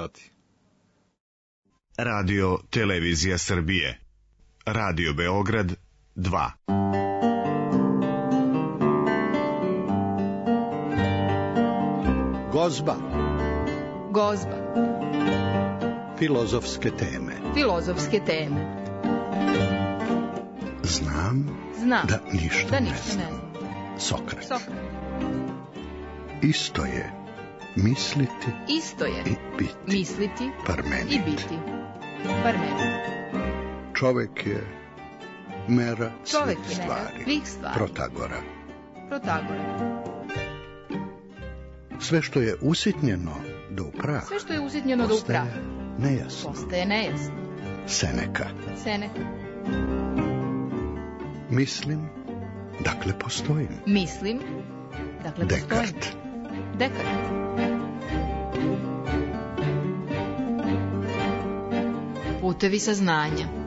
sati. Radio Televizija Srbije. Radio Beograd 2. Gozba. Gozba. Filozofske teme. Filozofske teme. Znam da ništa ne znam. Sokrat. Isto je misliti i biti. Misliti Parmenid. i biti. Parmenid. Čovek je mera svih stvari. Protagora. Sve što je usitnjeno do upraha. Postaje nejasno. Seneka. Mislim, dakle postojim. Dekart. Putevi saznanja.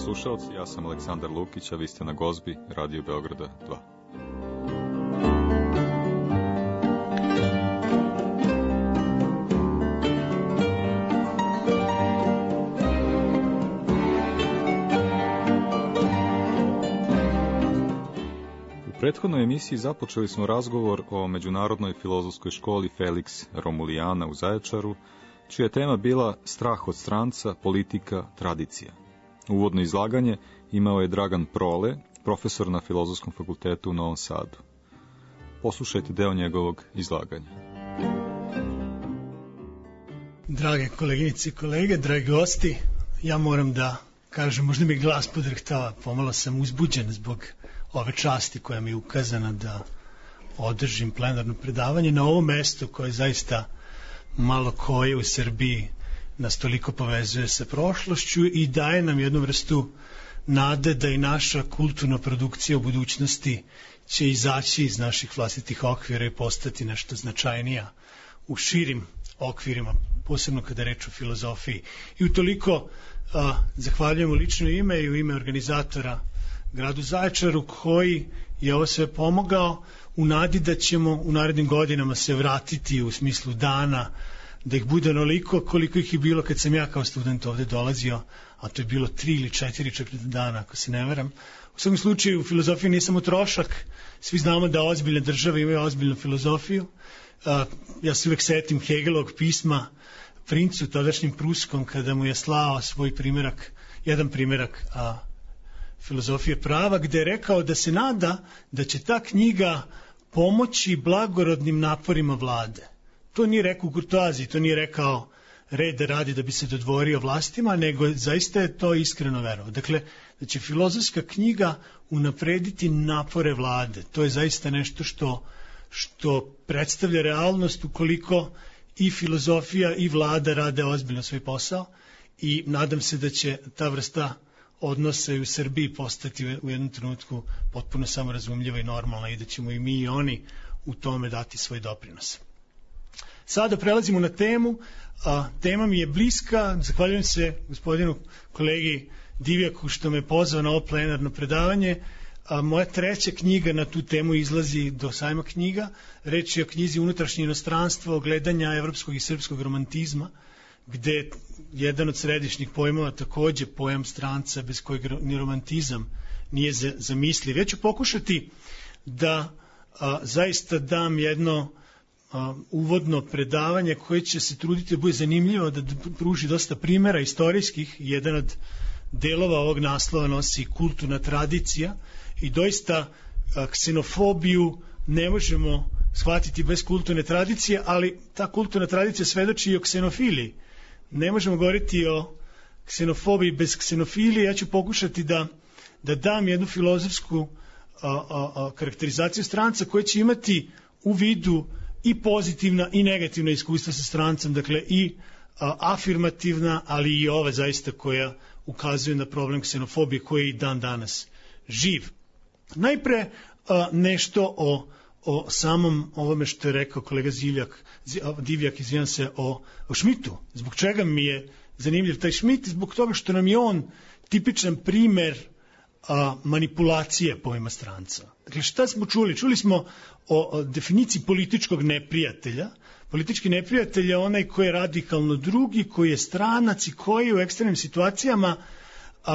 Slušalci, ja sam Aleksandar Lukić, a vi ste na Gozbi, Radio Beograda 2. U prethodnoj emisiji započeli smo razgovor o Međunarodnoj filozofskoj školi Felix Romulijana u Zaječaru, čija je tema bila strah od stranca, politika, tradicija. Uvodno izlaganje imao je Dragan Prole, profesor na Filozofskom fakultetu u Novom Sadu. Poslušajte deo njegovog izlaganja. Drage koleginice i kolege, dragi gosti, ja moram da kažem, možda mi glas podrhtava, pomalo sam uzbuđen zbog ove časti koja mi je ukazana da održim plenarno predavanje na ovom mestu koje zaista malo koje u Srbiji nas toliko povezuje sa prošlošću i daje nam jednu vrstu nade da i naša kulturna produkcija u budućnosti će izaći iz naših vlastitih okvira i postati nešto značajnija u širim okvirima, posebno kada je reč o filozofiji. I utoliko zahvaljujem u lično ime i u ime organizatora gradu Zaječaru koji je ovo sve pomogao u nadi da ćemo u narednim godinama se vratiti u smislu dana, da ih bude onoliko koliko ih je bilo kad sam ja kao student ovde dolazio, a to je bilo 3 ili 4 dana, ako se ne varam. U svakom slučaju, filozofija nije samo trošak, svi znamo da ozbiljne države imaju ozbiljnu filozofiju. Ja se uvek setim Hegelovog pisma princu, tadašnjim Pruskom, kada mu je slao svoj primjerak, jedan primjerak filozofije prava, gde je rekao da se nada da će ta knjiga pomoći blagorodnim naporima vlade. To nije rekao u kurtoaziji, to nije rekao reda radi da bi se dodvorio vlastima, nego zaista je to iskreno verovao. Dakle, da će filozofska knjiga unaprediti napore vlade. To je zaista nešto što predstavlja realnost ukoliko i filozofija i vlada rade ozbiljno svoj posao i nadam se da će ta vrsta odnosa i u Srbiji postati u jednom trenutku potpuno samorazumljiva i normalna i da ćemo i mi i oni u tome dati svoj doprinos. Sada prelazimo na temu. Tema mi je bliska. Zahvaljujem se gospodinu kolegi Divjaku što me pozvao na ovo plenarno predavanje. Moja treća knjiga na tu temu izlazi do sajma knjiga. Reč je o knjizi Unutrašnje inostranstvo, gledanja evropskog i srpskog romantizma, gde jedan od središnjih pojmova takođe pojam stranca bez kojeg ni romantizam nije zamisliv. Ja ću pokušati da zaista dam jedno uvodno predavanje koje će se truditi da bude zanimljivo, da pruži dosta primjera istorijskih. Jedan od delova ovog naslova nosi kulturna tradicija i doista ksenofobiju ne možemo shvatiti bez kulturne tradicije, ali ta kulturna tradicija svedoči i o ksenofiliji. Ne možemo govoriti o ksenofobiji bez ksenofilije. Ja ću pokušati da dam jednu filozofsku karakterizaciju stranca koja će imati u vidu i pozitivna i negativna iskustva sa strancem, dakle i afirmativna, ali i ova zaista koja ukazuje na problem ksenofobije koji je i dan danas živ. Najpre nešto o samom ovome što je rekao kolega Divjak, izvinjam se, o Schmidtu. Zbog čega mi je zanimljiv taj Schmidt? Zbog toga što nam je on tipičan primer manipulacije pojma stranca. Dakle, šta smo čuli? Čuli smo o definiciji političkog neprijatelja. Politički neprijatelj je onaj koji je radikalno drugi, koji je stranac i koji u ekstremnim situacijama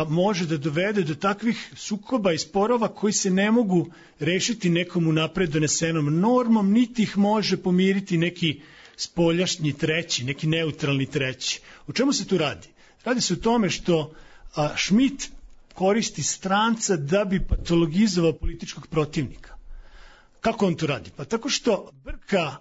može da dovede do takvih sukoba i sporova koji se ne mogu rešiti nekom unapred donesenom normom, niti ih može pomiriti neki spoljašnji treći, neki neutralni treći. O čemu se tu radi? Radi se o tome što Schmidt koristi stranca da bi patologizovao političkog protivnika. Kako on to radi? Pa tako što brka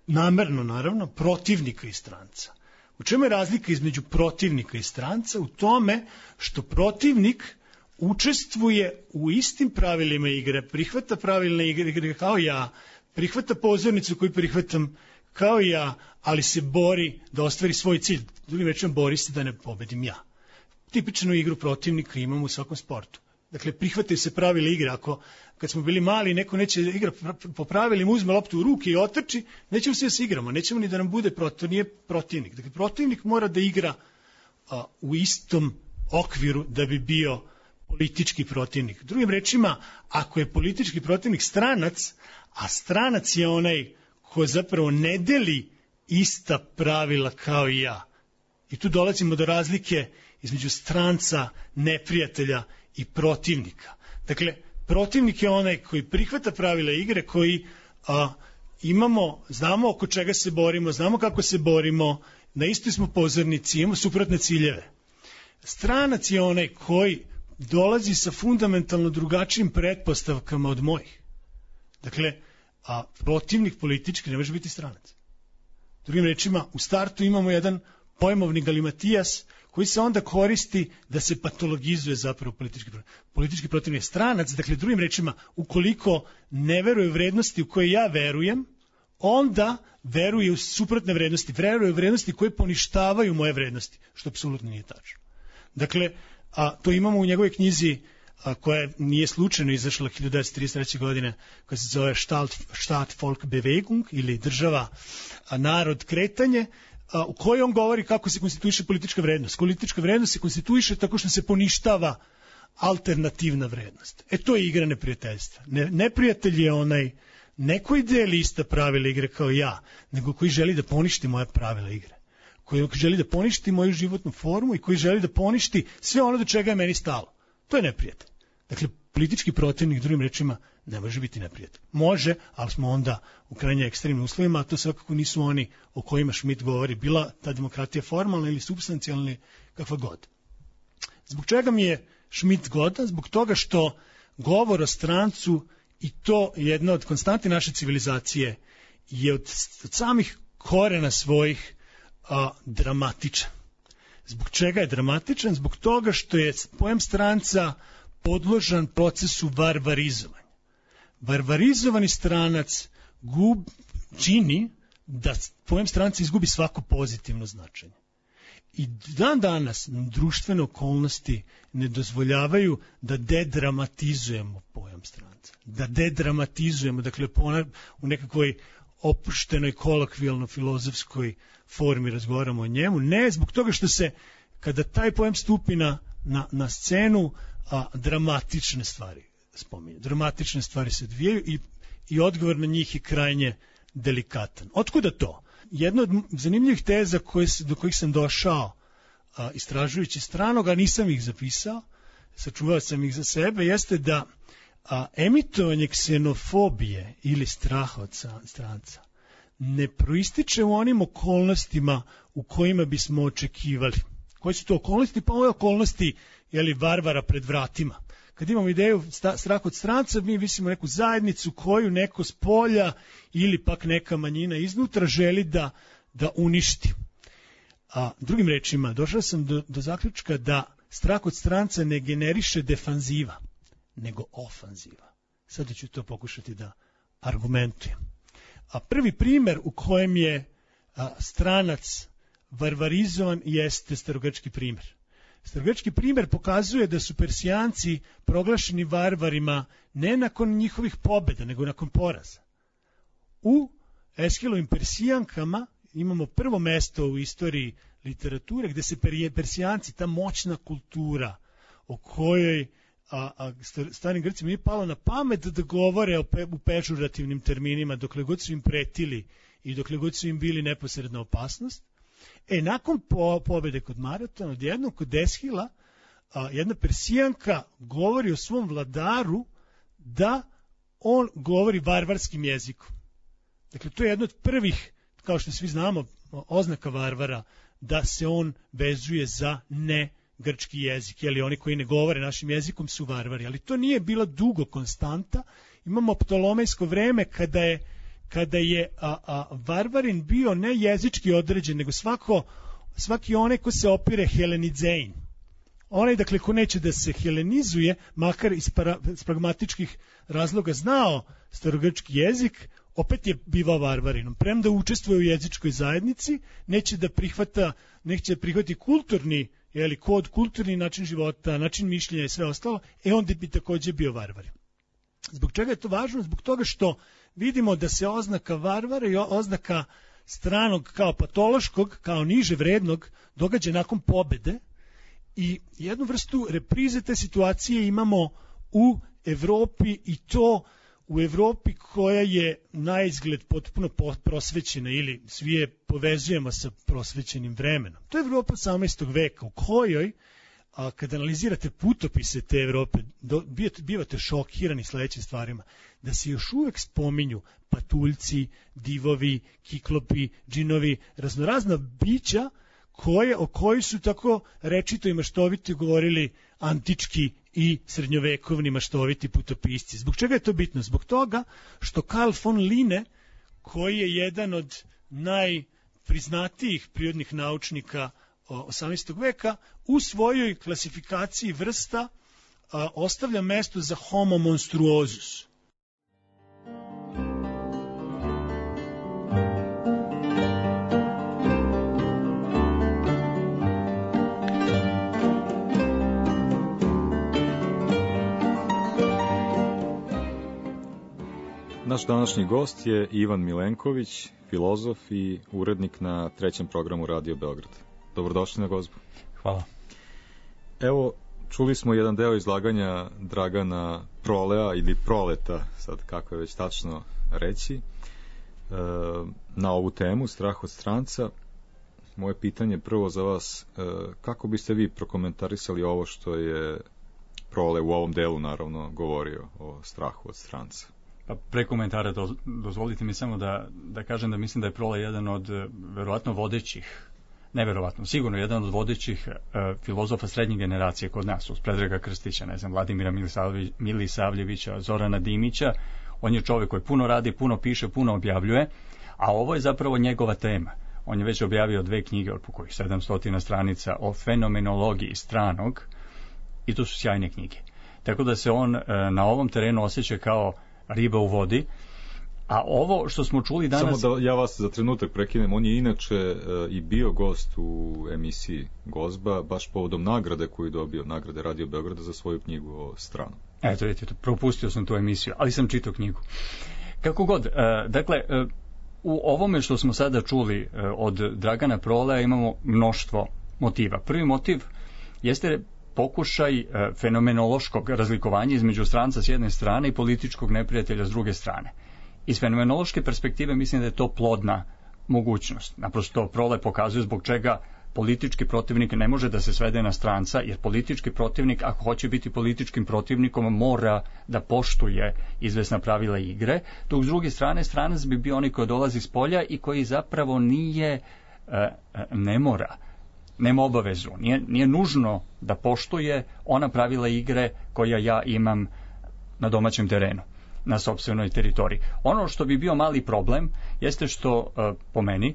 namerno, naravno, protivnika i stranca. U čemu je razlika između protivnika i stranca? U tome što protivnik učestvuje u istim pravilima igre, prihvata pravilne igre kao ja, prihvata pozornicu koju prihvatam kao ja, ali se bori da ostvari svoj cilj. Drugim rečima, bori se da ne pobedim ja. Tipičnu igru protivnika imamo u svakom sportu. Dakle, prihvataju se pravila igre. Ako kad smo bili mali, neko neće igra po pravilima, uzme loptu u ruke i otrči, nećemo se da se igramo, nećemo ni da nam bude to nije protivnik. Dakle, protivnik mora da igra u istom okviru da bi bio politički protivnik. Drugim rečima, ako je politički protivnik stranac, a stranac je onaj ko zapravo ne deli ista pravila kao i ja. I tu dolazimo do razlike između stranca, neprijatelja i protivnika. Dakle, protivnik je onaj koji prihvata pravila igre, koji znamo oko čega se borimo, znamo kako se borimo, na istoj smo pozornici, imamo suprotne ciljeve. Stranac je onaj koji dolazi sa fundamentalno drugačijim pretpostavkama od mojih. Dakle, protivnik politički ne može biti stranac. Drugim rečima, u startu imamo jedan pojmovni galimatijas koji se onda koristi da se patologizuje zapravo politički protivnik je stranac. Dakle, drugim rečima, ukoliko ne veruje u vrednosti u koje ja verujem, onda veruje u suprotne vrednosti, veruje u vrednosti koje poništavaju moje vrednosti, što apsolutno nije tačno. Dakle, to imamo u njegovoj knjizi koja nije slučajno izašla 1933. godine, koja se zove Staat Volk Bewegung ili država narod kretanje, u kojoj on govori kako se konstituiše politička vrednost. Politička vrednost se konstituiše tako što se poništava alternativna vrednost. To je igra neprijateljstva. Neprijatelj je onaj ne koji deli ista pravila igre kao ja, nego koji želi da poništi moja pravila igre. Koji želi da poništi moju životnu formu i koji želi da poništi sve ono do čega je meni stalo. To je neprijatelj. Dakle, politički protivnik, drugim rečima, ne može biti neprijatelj. Može, ali smo onda u krajnje ekstremnim uslovima, a to svakako nisu oni o kojima Schmidt govori, bila ta demokratija formalna ili supstancijalna ili kakva god. Zbog čega mi je Schmidt godan? Zbog toga što govor o strancu, i to jedna od konstanti naše civilizacije, je od samih korena svojih dramatičan. Zbog čega je dramatičan? Zbog toga što je pojam stranca podložan procesu varvarizovanja. Varvarizovani stranac čini da pojam stranca izgubi svako pozitivno značenje. I dan danas društvene okolnosti ne dozvoljavaju da dedramatizujemo pojam stranca. Da dedramatizujemo, dakle u nekakvoj opuštenoj, kolokvijalno filozofskoj formi razgovaramo o njemu. Ne, zbog toga što se, kada taj pojam stupi na scenu, dramatične stvari spominje. Dramatične stvari se odvijaju i odgovor na njih je krajnje delikatan. Otkuda to? Jedna od zanimljivih teza do kojih sam došao istražujući stranog, a nisam ih zapisao, sačuvao sam ih za sebe, jeste da emitovanje ksenofobije ili straha od stranca ne proističe u onim okolnostima u kojima bismo očekivali. Koje su to okolnosti? Pa ove okolnosti varvara pred vratima. Kad imamo ideju strah od stranca, mi mislimo neku zajednicu koju neko s polja ili pak neka manjina iznutra želi da uništi. Drugim rečima, došao sam do zaključka da strah od stranca ne generiše defanziva, nego ofanziva. Sada ću to pokušati da argumentujem. Prvi primer u kojem je stranac varvarizovan jeste starogrčki primer. Starogrčki primer pokazuje da su Persijanci proglašeni varvarima ne nakon njihovih pobjeda, nego nakon poraza. u Eshilovim Persijankama imamo prvo mesto u istoriji literature gde se Persijanci, ta moćna kultura o kojoj starim Grcima nije palo na pamet da govore u pežurativnim terminima dokle god su im pretili i dokle god su im bili neposredna opasnost. Nakon pobede kod Maratona, odjednom kod Eshila, jedna Persijanka govori o svom vladaru da on govori varvarskim jezikom. Dakle, to je jedno od prvih, kao što svi znamo, oznaka varvara, da se on vezuje za ne grčki jezik, jer oni koji ne govore našim jezikom su varvari, ali to nije bila dugo konstanta. Imamo ptolomejsko vreme kada je varvarin bio ne jezički određen, nego svaki onaj ko se opire helenizein. Onaj, dakle, ko neće da se helenizuje, makar iz pragmatičkih razloga znao starogrčki jezik, opet je bivao varvarinom. Premda učestvuje u jezičkoj zajednici, neće da prihvati kulturni kod, kulturni način života, način mišljenja i sve ostalo, onda bi takođe bio varvar. Zbog čega je to važno? Zbog toga što vidimo da se oznaka varvara i oznaka stranog kao patološkog, kao niže vrednog, događa nakon pobede i jednu vrstu reprize te situacije imamo u Evropi, i to u Evropi koja je na izgled potpuno prosvećena, ili svi je povezujemo sa prosvećenim vremenom. To je Evropa 18. veka u kojoj, kad analizirate putopise te Evrope, bivate šokirani sledećim stvarima, da se još uvek spominju patuljci, divovi, kiklopi, džinovi, raznorazna bića o kojoj su tako rečito i maštovito govorili antički i srednjovekovni maštoviti putopisci. Zbog čega je to bitno? Zbog toga što Carl von Linne, koji je jedan od najpriznatijih prirodnih naučnika 18. veka, u svojoj klasifikaciji vrsta ostavlja mesto za Homo monstruosus. Naš današnji gost je Ivan Milenković, filozof i urednik na 3. programu Radio Beograd. Dobrodošli na gozbu. Hvala. Evo, čuli smo jedan deo izlaganja Dragana Prolea ili Proleta, sad kako je već tačno reći, na ovu temu, strah od stranca. Moje pitanje prvo za vas, kako biste vi prokomentarisali ovo što je Prole u ovom delu naravno govorio o strahu od stranca? Pa pre komentara dozvolite mi samo da kažem da mislim da je Prole jedan od verovatno vodećih, neverovatno, sigurno jedan od vodećih filozofa srednje generacije kod nas, uz Predraga Krstića, Vladimira Milisavljevića, Zorana Dimića. On je čovjek koji puno radi, puno piše, puno objavljuje, a ovo je zapravo njegova tema. On je već objavio 2 knjige od kojih 700 stranica o fenomenologiji stranog, i to su sjajne knjige. Tako da se on na ovom terenu osjeća kao riba u vodi. A ovo što smo čuli danas... Samo da ja vas za trenutak prekinem, on je inače i bio gost u emisiji Gozba, baš povodom nagrade koju je dobio, nagrade Radio Beograda za svoju knjigu o stranu. Eto, vidite, propustio sam tu emisiju, ali sam čitao knjigu. Kako god, dakle, u ovome što smo sada čuli od Dragana Prolea imamo mnoštvo motiva. Prvi motiv jeste pokušaj fenomenološkog razlikovanja između stranca s jedne strane i političkog neprijatelja s druge strane. Iz fenomenološke perspektive mislim da je to plodna mogućnost. Naprosto Prole pokazuje zbog čega politički protivnik ne može da se svede na stranca, jer politički protivnik, ako hoće biti političkim protivnikom, mora da poštuje izvesna pravila igre, dok s druge strane stranac bi bio onaj koji dolazi s polja i koji zapravo ne mora, nema obavezu, nije nužno da poštuje ona pravila igre koja ja imam na domaćem terenu, na sopstvenoj teritoriji. Ono što bi bio mali problem jeste što, po meni,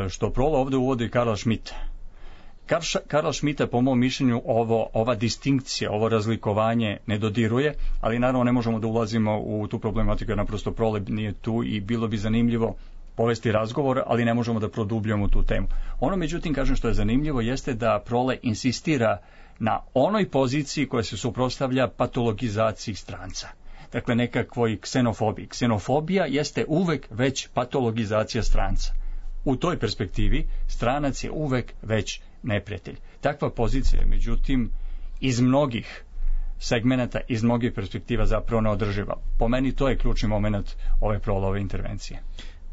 što Prole ovdje uvodi Karla Schmitta. Karla Schmitta, po mom mišljenju, ova distinkcija, ovo razlikovanje ne dodiruje, ali naravno ne možemo da ulazimo u tu problematiku, jer naprosto Prole nije tu i bilo bi zanimljivo povesti razgovor, ali ne možemo da produbljamo tu temu. Ono, međutim, kažem što je zanimljivo, jeste da Prole insistira na onoj poziciji koja se suprotstavlja patologizaciji stranca. dakle nekakvoj ksenofobiji. Ksenofobija jeste uvek već patologizacija stranca. U toj perspektivi stranac je uvek već neprijatelj. Takva pozicija je, međutim, iz mnogih segmenata, iz mnogih perspektiva zapravo neodrživa. Po meni to je ključni moment ove Proulove intervencije.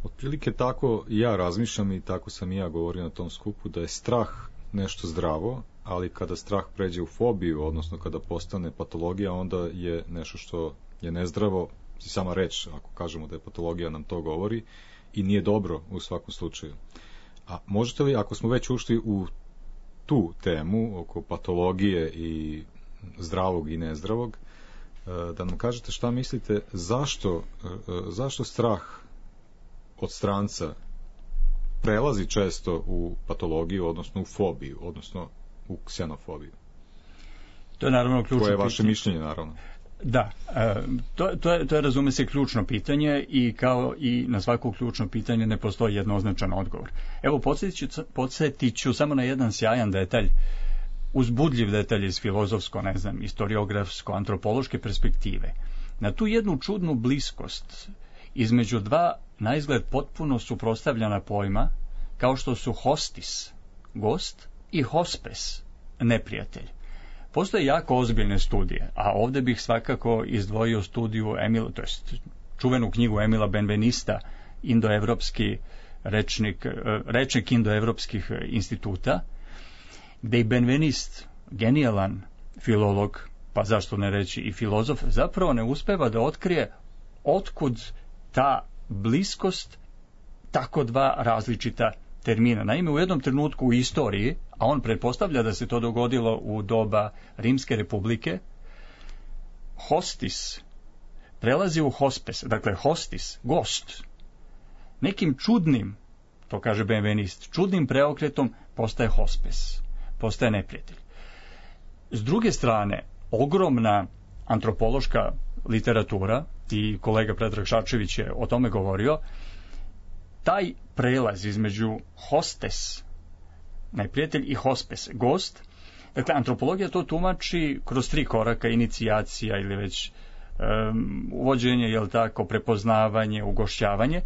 Otprilike tako ja razmišljam i tako sam i ja govorio na tom skupu, da je strah nešto zdravo, ali kada strah pređe u fobiju, odnosno kada postane patologija, onda je nešto što je nezdravo, i sama reč, ako kažemo da je patologija, nam to govori, i nije dobro u svakom slučaju. A možete li, ako smo već ušli u tu temu oko patologije i zdravog i nezdravog, da nam kažete šta mislite, zašto strah od stranca prelazi često u patologiju, odnosno u fobiju, odnosno u ksenofobiju? To je naravno ključno pitanje. Koje je vaše mišljenje, naravno? Da, to je razume se ključno pitanje i kao i na svako ključno pitanje ne postoji jednoznačan odgovor. Evo, podsjetit ću samo na jedan sjajan detalj, uzbudljiv detalj iz filozofsko, istoriografsko, antropološke perspektive. Na tu jednu čudnu bliskost između dva naizgled potpuno suprotstavljena pojma, kao što su hostis, gost, i hospes, neprijatelj. Postoje jako ozbiljne studije, a ovdje bih svakako izdvojio studiju čuvenu knjigu Emila Benvenista, indoevropski rečnik indoevropskih instituta, gdje i Benvenist, genijalan filolog, pa zašto ne reći i filozof, zapravo ne uspeva da otkrije otkud ta bliskost tako dva različita termina. Naime, u jednom trenutku u istoriji, a on pretpostavlja da se to dogodilo u doba Rimske republike, hostis prelazi u hospes, dakle hostis, gost. Nekim čudnim, to kaže Benvenist, čudnim preokretom postaje hospes, postaje neprijatelj. S druge strane, ogromna antropološka literatura, i kolega Predrag Šačević je o tome govorio, taj prelaz između hostes, neprijatelj, i hospes, gost, dakle, antropologija to tumači kroz 3 koraka, inicijacija ili već uvođenje, prepoznavanje, ugošćavanje.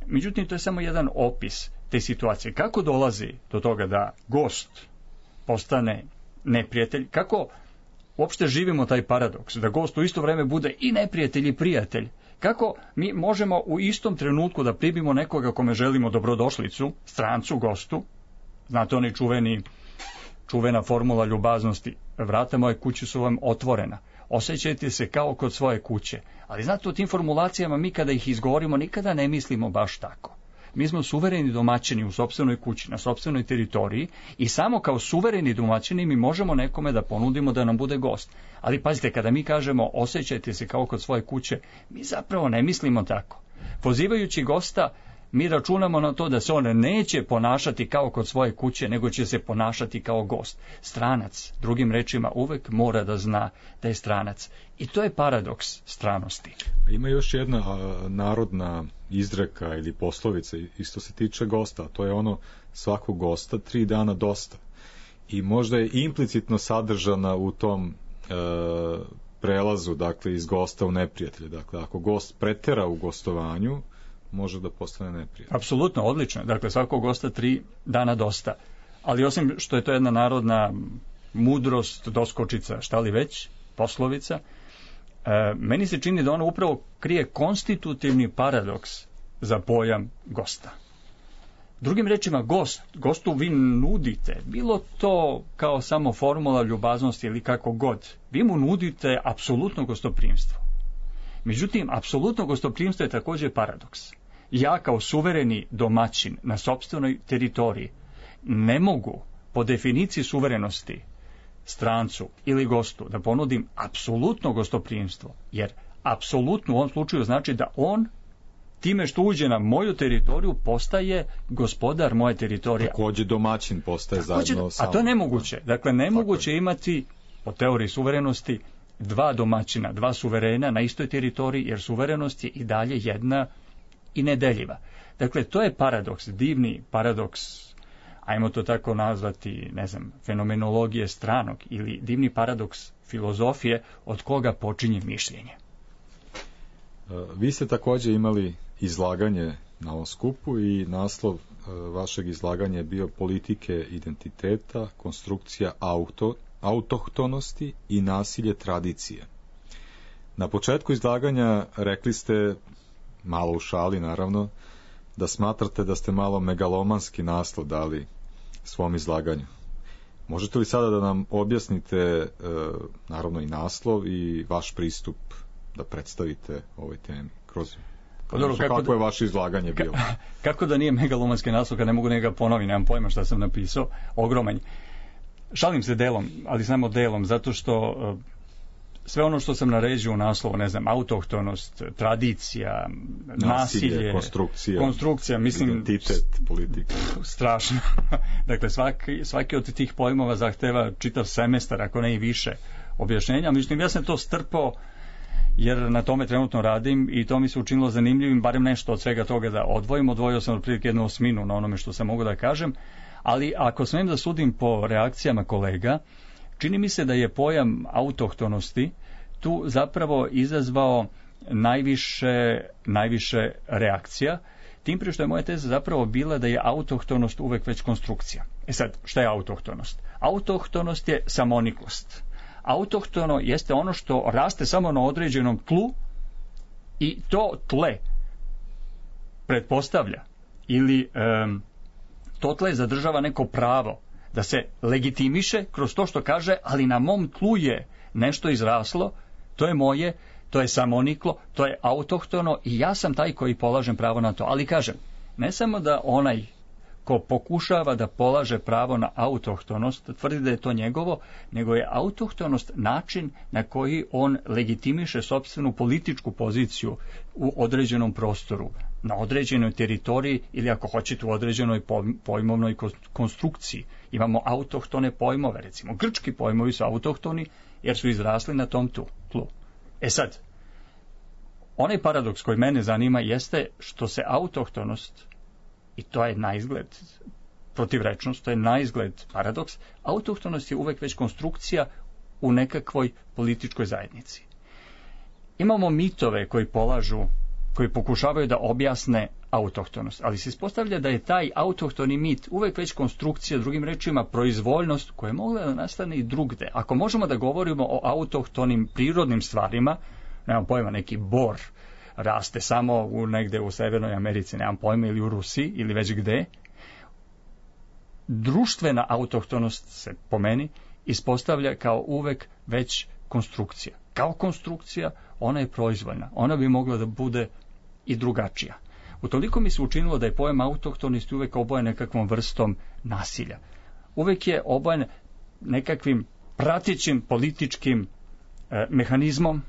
Međutim, to je samo jedan opis te situacije. Kako dolazi do toga da gost postane neprijatelj? Kako uopšte živimo taj paradoks, da gost u isto vreme bude i neprijatelj i prijatelj? Kako mi možemo u istom trenutku da primimo nekoga kome želimo dobrodošlicu, strancu, gostu? Znate, oni čuvena formula ljubaznosti, vrata moje kuće su vam otvorena, osjećajte se kao kod svoje kuće. Ali znate, u tim formulacijama mi kada ih izgovorimo nikada ne mislimo baš tako. Mi smo suvereni domaćini u sopstvenoj kući, na sopstvenoj teritoriji, i samo kao suvereni domaćini mi možemo nekome da ponudimo da nam bude gost. Ali pazite, kada mi kažemo osjećajte se kao kod svoje kuće, mi zapravo ne mislimo tako. Pozivajući gosta, mi računamo na to da se on neće ponašati kao kod svoje kuće, nego će se ponašati kao gost. Stranac, drugim rečima, uvek mora da zna da je stranac. I to je paradoks stranosti. Ima još jedna narodna izreka ili poslovica, isto se tiče gosta, to je ono svakog gosta 3 dana dosta. I možda je implicitno sadržana u tom prelazu, dakle, iz gosta u neprijatelja. Dakle, ako gost pretera u gostovanju, može da postane neprijatelj. Apsolutno, odlično. Dakle, svakog gosta 3 dana dosta. Ali osim što je to jedna narodna mudrost, doskočica, šta li već, poslovica, meni se čini da ona upravo krije konstitutivni paradoks za pojam gosta. Drugim rečima, gostu vi nudite, bilo to kao samo formula ljubaznosti ili kako god, vi mu nudite apsolutno gostoprimstvo. Međutim, apsolutno gostoprimstvo je također paradoks. Ja kao suvereni domaćin na sopstvenoj teritoriji ne mogu po definiciji suverenosti strancu ili gostu da ponudim apsolutno gostoprimstvo, jer apsolutno u ovom slučaju znači da on time što uđe na moju teritoriju postaje gospodar moje teritorije. Također domaćin postaje zajedno sam. A to je nemoguće. Dakle, nemoguće imati po teoriji suverenosti 2 domaćina, 2 suverena na istoj teritoriji, jer suverenost je i dalje jedna i nedeljiva. Dakle, to je paradoks, divni paradoks, ajmo to tako nazvati, fenomenologije stranog, ili divni paradoks filozofije od koga počinje mišljenje. Vi ste također imali izlaganje na ovom skupu i naslov vašeg izlaganja je bio politike identiteta, konstrukcija autohtonosti i nasilje tradicije. Na početku izlaganja rekli ste, malo u šali naravno, da smatrate da ste malo megalomanski naslov dali svom izlaganju. Možete li sada da nam objasnite naravno i naslov i vaš pristup da predstavite ovoj temi kroz kako je vaše izlaganje bilo? Kako da nije megalomanski naslov kad ne mogu njega ponoviti, nemam pojma šta sam napisao, ogroman. Šalim se delom, ali samo delom, zato što sve ono što sam naređio u naslovu, ne znam, autohtonost, tradicija, nasilje, konstrukcija, mislim, identitet, politika. Strašno. Dakle, svaki od tih pojmova zahteva čitav semestar, ako ne i više objašnjenja. Međutim, ja sam to strpao jer na tome trenutno radim i to mi se učinilo zanimljivim, barem nešto od svega toga da odvojim. Odvojio sam otprilike 1/8 na onome što sam mogu da kažem, ali ako smijem da sudim po reakcijama kolega, čini mi se da je pojam autohtonosti tu zapravo izazvao najviše reakcija, tim prije što je moja teza zapravo bila da je autohtonost uvek već konstrukcija. Sad, šta je autohtonost? Autohtonost je samoniklost. Autohtono jeste ono što raste samo na određenom tlu i to tle pretpostavlja ili to tle zadržava neko pravo da se legitimiše kroz to što kaže, ali na mom tlu je nešto izraslo, to je moje, to je samoniklo, to je autohtono i ja sam taj koji polažem pravo na to. Ali kažem, ne samo da onaj ko pokušava da polaže pravo na autohtonost, tvrdi da je to njegovo, nego je autohtonost način na koji on legitimiše sopstvenu političku poziciju u određenom prostoru, na određenoj teritoriji ili ako hoćete u određenoj pojmovnoj konstrukciji. Imamo autohtone pojmove, recimo grčki pojmovi su autohtoni jer su izrasli na tom tlu. E sad, onaj paradoks koji mene zanima jeste što se autohtonost, i to je naizgled protivrečnost, to je naizgled paradoks, autohtonost je uvek već konstrukcija u nekakvoj političkoj zajednici. Imamo mitove koji pokušavaju da objasne autohtonost, ali se ispostavlja da je taj autohtoni mit uvek već konstrukcija, drugim rečima proizvoljnost koja je mogla da nastane i drugde. Ako možemo da govorimo o autohtonim prirodnim stvarima, nemam pojma, neki bor raste samo negde u Severnoj Americi, nemam pojma, ili u Rusiji, ili već gde, društvena autohtonost se po meni ispostavlja kao uvek već konstrukcija. Kao konstrukcija ona je proizvoljna, ona bi mogla da bude i drugačija. Utoliko mi se učinilo da je pojam autohtonosti uvek obojen nekakvom vrstom nasilja. Uvek je obojen nekakvim pratećim političkim mehanizmom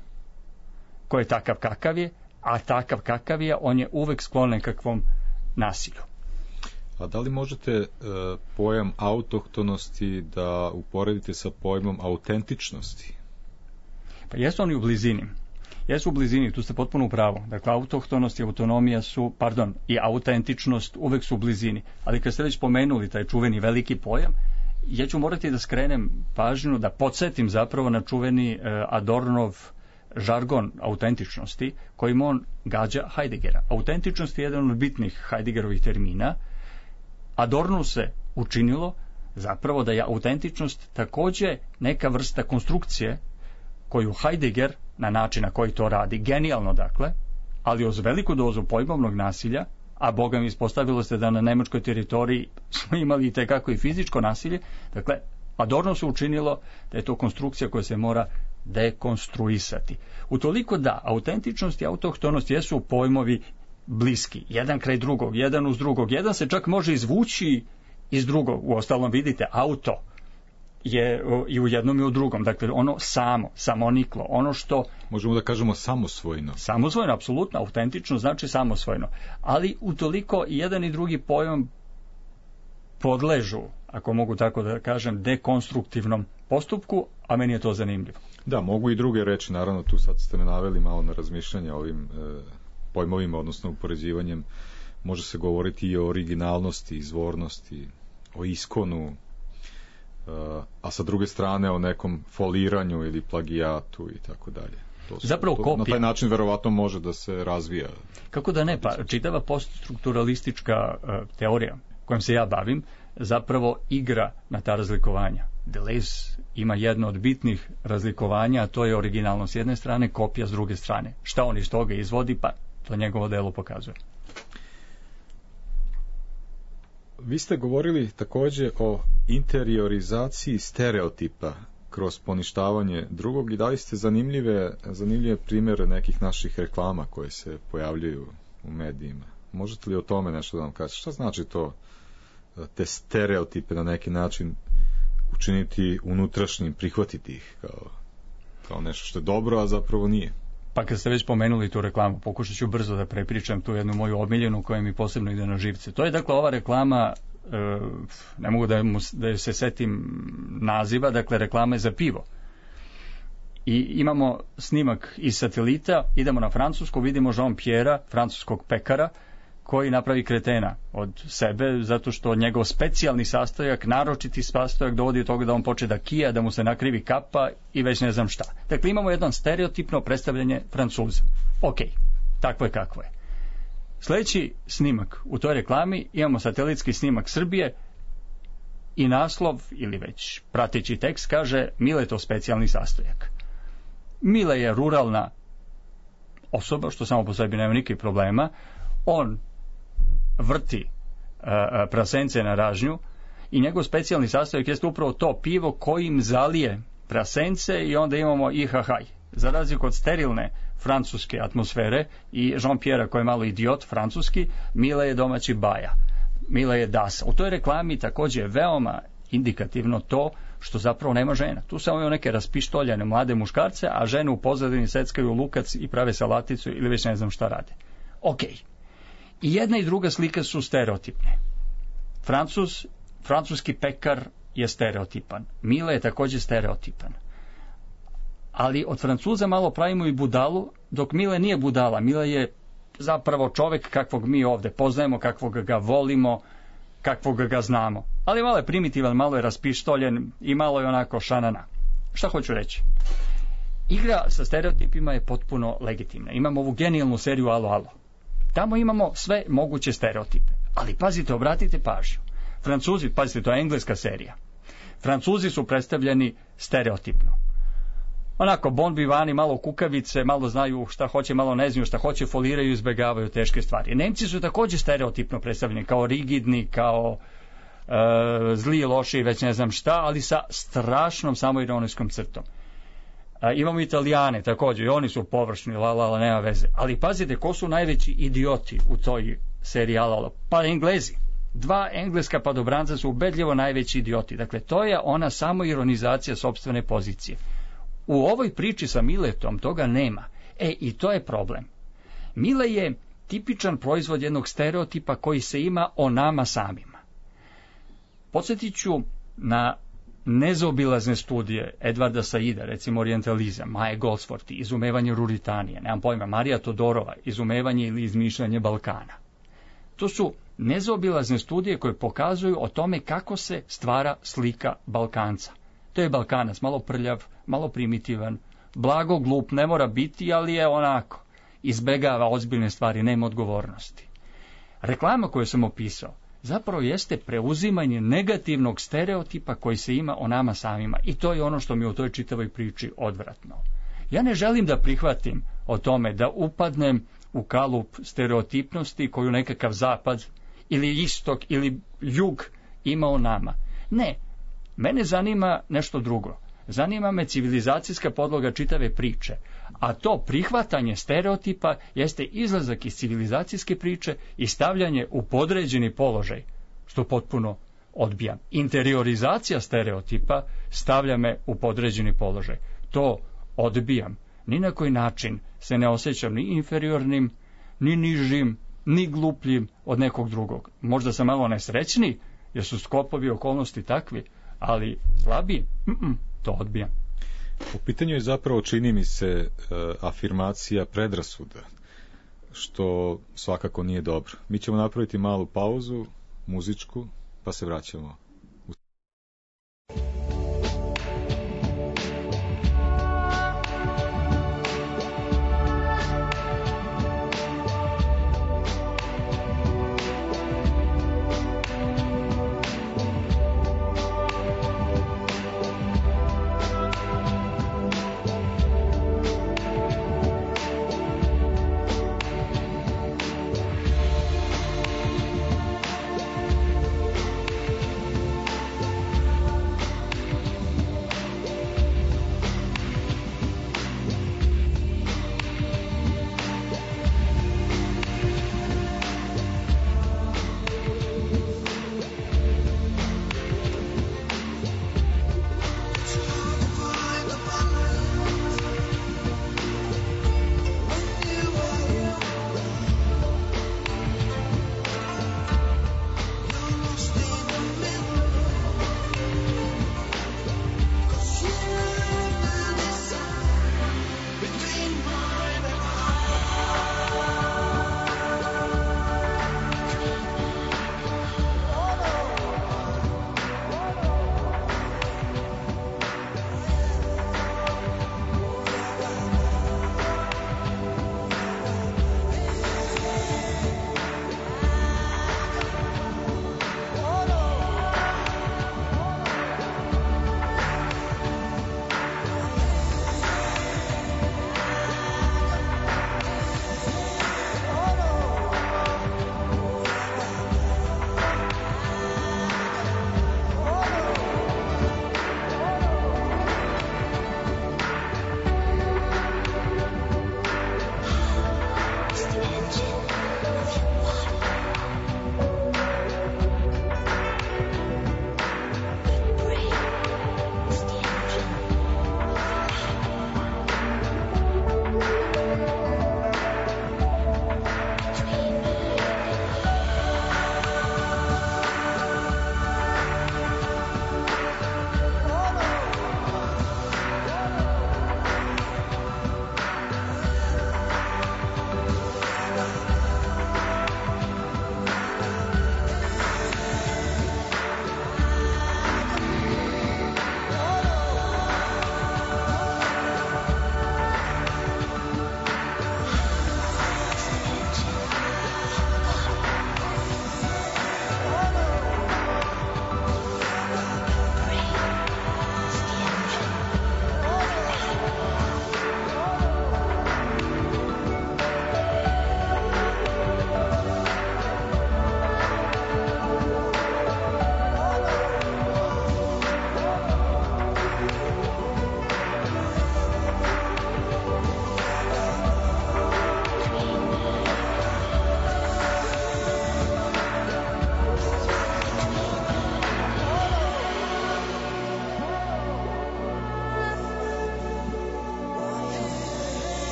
koji je takav kakav je, a takav kakav je, on je uvek sklon nekakvom nasilju. A da li možete pojam autohtonosti da uporedite sa pojmom autentičnosti? Pa jesu oni u blizini. Jesu u blizini, tu ste potpuno u pravu. Dakle, autohtonost i autonomija su, i autentičnost uvek su u blizini. Ali kad ste već pomenuli taj čuveni veliki pojam, ja ću morati da skrenem pažnju, da podsjetim zapravo na čuveni Adornov žargon autentičnosti, kojim on gađa Heideggera. Autentičnost je jedan od bitnih Heideggerovih termina. Adornu se učinilo zapravo da je autentičnost takođe neka vrsta konstrukcije koju Heidegger, na način na koji to radi, genijalno dakle, ali uz veliku dozu pojmovnog nasilja, a Boga mi ispostavilo se da na nemačkoj teritoriji smo imali i tekako i fizičko nasilje, dakle, Adorno se učinilo da je to konstrukcija koja se mora dekonstruisati. Utoliko da autentičnost i autohtonost jesu pojmovi bliski, jedan kraj drugog, jedan uz drugog, jedan se čak može izvući iz drugog, uostalom vidite, auto je i u jednom i u drugom, dakle ono samoniklo, ono što... Možemo da kažemo samosvojno. Samosvojno, apsolutno, autentično znači samosvojno, ali utoliko i jedan i drugi pojam podležu, ako mogu tako da kažem, dekonstruktivnom postupku, a meni je to zanimljivo. Da, mogu i druge reći, naravno tu sad ste me naveli malo na razmišljanje o ovim pojmovima, odnosno upoređivanjem, može se govoriti i o originalnosti, izvornosti, o iskonu, a sa druge strane o nekom foliranju ili plagijatu i tako dalje. Zapravo kopija. Na taj način verovatno može da se razvija. Kako da ne, pa čitava poststrukturalistička teorija kojom se ja bavim zapravo igra na ta razlikovanja. Deleuze ima jedno od bitnih razlikovanja, a to je originalno s jedne strane, kopija s druge strane. Šta on iz toga izvodi, pa to njegovo delo pokazuje. Vi ste govorili takođe o interiorizaciji stereotipa kroz poništavanje drugog i dali ste zanimljive primjere nekih naših reklama koje se pojavljaju u medijima. Možete li o tome nešto da nam kažete? Šta znači to, te stereotipe na neki način učiniti unutrašnjim, prihvatiti ih kao nešto što je dobro, a zapravo nije? Pa kad ste već pomenuli tu reklamu, pokušat ću brzo da prepričam tu jednu moju omiljenu koja mi posebno ide na živce. To je dakle ova reklama, ne mogu da se setim naziva, dakle reklama je za pivo. I imamo snimak iz satelita, idemo na Francusku, vidimo Jean-Pierre, francuskog pekara, koji napravi kretena od sebe, zato što njegov specijalni sastojak, naročiti sastojak dovodi do toga da on počne da kija, da mu se nakrivi kapa i već ne znam šta. Dakle, imamo jedno stereotipno predstavljanje Francuza. Ok, takvo je kakvo je. Sljedeći snimak u toj reklami imamo satelitski snimak Srbije i naslov, ili već prateći tekst, kaže Miletov specijalni sastojak. Mile je ruralna osoba, što samo po sebi nema nikakvih problema. On vrti prasence na ražnju i njegov specijalni sastojak jeste upravo to pivo kojim zalije prasence i onda imamo ihahaj. Za razliku od sterilne francuske atmosfere i Jean-Pierre koji je malo idiot francuski, Mile je domaći baja. Mile je dasa. U toj reklami također je veoma indikativno to što zapravo nema žena. Tu samo imaju neke raspištoljene mlade muškarce, a žene u pozadini seckaju lukac i prave salaticu ili već ne znam šta rade. Ok. I jedna i druga slika su stereotipne. Francuski pekar je stereotipan. Mile je također stereotipan. Ali od Francuza malo pravimo i budalu, dok Mile nije budala. Mile je zapravo čovek kakvog mi ovde poznajemo, kakvog ga volimo, kakvog ga znamo. Ali malo je primitivan, malo je raspištoljen i malo je onako šanana. Šta hoću reći? Igra sa stereotipima je potpuno legitimna. Imamo ovu genijalnu seriju Alo, alo. Tamo imamo sve moguće stereotipe. Ali pazite, obratite pažnju. Francuzi, pazite, to je engleska serija. Francuzi su predstavljeni stereotipno. Onako, bon vivani, malo kukavice, malo znaju šta hoće, malo ne znaju šta hoće, foliraju i izbegavaju teške stvari. Nemci su također stereotipno predstavljeni, kao rigidni, kao zli, loši i već ne znam šta, ali sa strašnom samoironijskom crtom. Imamo Italijane također, i oni su površni, la, nema veze. Ali pazite, ko su najveći idioti u toj seriji Alala? Pa Englezi. 2 engleska padobranca su ubedljivo najveći idioti. Dakle, to je ona samoironizacija sopstvene pozicije. U ovoj priči sa Miletom toga nema. I to je problem. Mile je tipičan proizvod jednog stereotipa koji se ima o nama samima. Podsjetit ću na nezaobilazne studije Edvarda Saida, recimo orijentalizam, Maje Goldsworthy, izumevanje Ruritanije, nemam pojma, Marija Todorova, izumevanje ili izmišljanje Balkana. To su nezaobilazne studije koje pokazuju o tome kako se stvara slika Balkanca. To je Balkanac, malo prljav, malo primitivan, blago glup, ne mora biti, ali je onako, izbegava ozbiljne stvari, nema odgovornosti. Reklama koju sam opisao zapravo jeste preuzimanje negativnog stereotipa koji se ima o nama samima. I to je ono što mi u toj čitavoj priči odvratno. Ja ne želim da prihvatim o tome da upadnem u kalup stereotipnosti koju nekakav zapad ili istok ili jug ima o nama. Ne, mene zanima nešto drugo. Zanima me civilizacijska podloga čitave priče. A to prihvatanje stereotipa jeste izlazak iz civilizacijske priče i stavljanje u podređeni položaj, što potpuno odbijam. Interiorizacija stereotipa stavlja me u podređeni položaj. To odbijam. Ni na koji način se ne osjećam ni inferiornim, ni nižim, ni glupljim od nekog drugog. Možda sam malo nesrećni, jer su sklopovi okolnosti takvi, ali slabiji, to odbijam. U pitanju je zapravo, čini mi se, afirmacija predrasuda, što svakako nije dobro. Mi ćemo napraviti malu pauzu, muzičku, pa se vraćamo.